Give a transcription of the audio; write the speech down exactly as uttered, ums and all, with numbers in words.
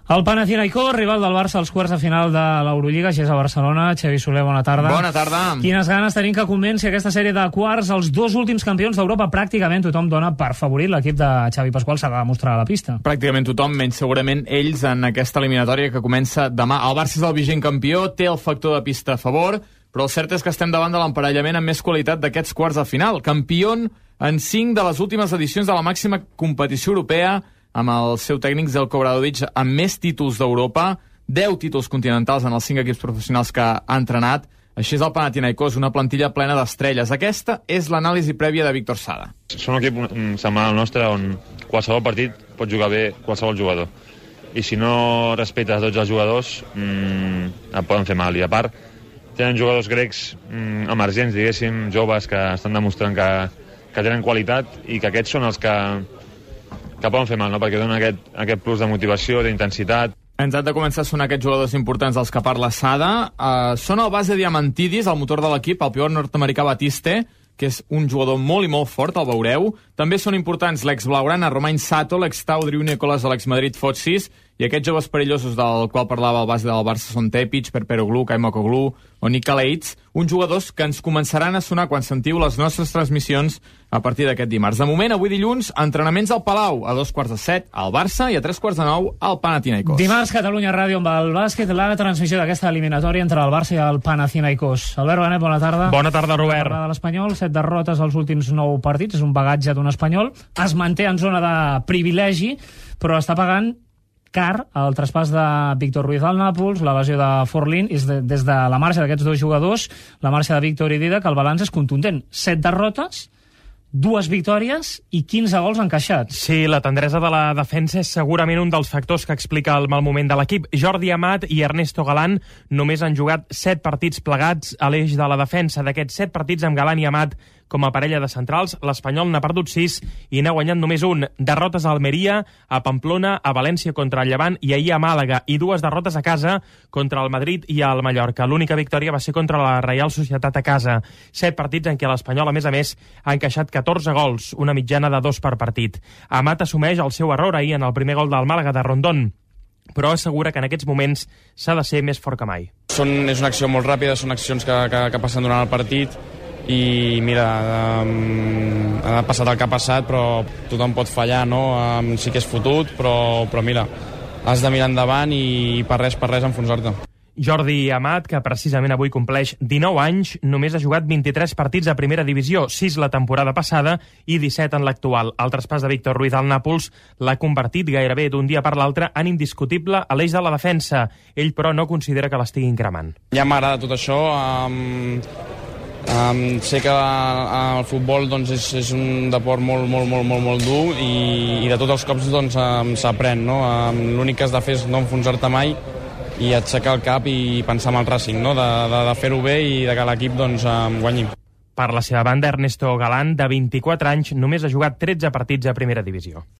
El Panathinaikos, rival del Barça als quarts de final de l'Eurolliga, així és a Barcelona. Xavi Soler, bona tarda. Bona tarda. Quines ganes tenim que comenci aquesta sèrie de quarts. Els dos últims campions d'Europa, pràcticament tothom dona per favorit. L'equip de Xavi Pasqual s'ha de demostrar a la pista. Pràcticament tothom, menys segurament ells en aquesta eliminatòria que comença demà. El Barça és el vigent campió, té el factor de pista a favor, però el cert és que estem davant de l'emparellament amb més qualitat d'aquests quarts de final. Campió en cinc de les últimes edicions de la màxima competició europea, amb el seu tècnic Zeljko Obradovic amb més títols d'Europa, deu títols continentals en els cinc equips professionals que ha entrenat. Així és el Panathinaikos, una plantilla plena d'estrelles. Aquesta és l'anàlisi prèvia de Víctor Sada. Són un equip semblant al nostre on qualsevol partit pot jugar bé qualsevol jugador. I si no respetes tots els jugadors, mmm, et poden fer mal. I a part, tenen jugadors grecs mmm, emergents, diguéssim, joves, que estan demostrant que, que tenen qualitat i que aquests són els que que poden fer mal, no? Perquè donen aquest, aquest plus de motivació, d'intensitat. Ens han de començar a sonar aquests jugadors importants dels que parla Sada. Uh, són el base Diamantidis, el motor de l'equip, el pivot nord-americà Batiste, que és un jugador molt i molt fort, el veureu. També són importants l'ex-blaugrana Romain Sato, l'ex-Tau Driu Nicolas de l'ex-Madrid Fotsis, i aquests joves perillosos del qual parlava el base del Barça són Tepic, Perperoglu, Kaimokoglu o Nika Leitz, uns jugadors que ens començaran a sonar quan sentiu les nostres transmissions a partir d'aquest dimarts. De moment, avui dilluns, entrenaments al Palau, a dos quarts de set al Barça i a tres quarts de nou al Panathinaikos. Dimarts, Catalunya Ràdio amb el bàsquet, la transmissió d'aquesta eliminatòria entre el Barça i el Panathinaikos. Albert Benet, bona tarda. Bona tarda, Robert. Bona tarda de l'Espanyol, set derrotes als últims nou partits, és un bagatge d'un espanyol. Es manté en zona de privilegi, però està pagant car el traspàs de Víctor Ruiz al Nàpols, la lesió de Forlín, és de, des de la marxa d'aquests dos jugadors, la marxa de Víctor i Didac, el balanç és contundent. Set derrotes, dues victòries i quinze gols encaixats. Sí, la tendresa de la defensa és segurament un dels factors que explica el mal moment de l'equip. Jordi Amat i Ernesto Galán només han jugat set partits plegats a l'eix de la defensa. D'aquests set partits amb Galán i Amat com a parella de centrals, l'Espanyol n'ha perdut sis i n'ha guanyat només un. Derrotes a Almeria, a Pamplona, a València contra el Llevant i ahir a Màlaga, i dues derrotes a casa contra el Madrid i el Mallorca. L'única victòria va ser contra la Reial Societat a casa. Set partits en què l'Espanyol, a més a més, ha encaixat catorze gols, una mitjana de dos per partit. Amat assumeix el seu error ahir en el primer gol del Màlaga de Rondón, però assegura que en aquests moments s'ha de ser més fort que mai. Són, és una acció molt ràpida, són accions que, que, que passen durant el partit, i mira, um, ha passat el que ha passat, però tothom pot fallar, no? Um, sí que és fotut, però, però mira, has de mirar endavant i per res, per res enfonsar-te. Jordi Amat, que precisament avui compleix dinou anys, només ha jugat vint-i-tres partits a primera divisió, sis la temporada passada i disset en l'actual. El traspàs de Víctor Ruiz al Nàpols l'ha convertit gairebé d'un dia per l'altre en indiscutible a l'eix de la defensa. Ell, però, no considera que l'estiguin cremant. Ja m'agrada tot això. Um, um, sé que uh, el futbol doncs, és, és un deport molt, molt, molt, molt, molt dur i, i de tots els cops doncs, um, s'aprèn. No? Um, l'únic que has de fer és no enfonsar-te mai i aixecar el cap i pensar en el Racing, no? de, de, de fer-ho bé i de que l'equip doncs, guanyi. Per la seva banda, Ernesto Galán, de vint-i-quatre anys, només ha jugat tretze partits a primera divisió.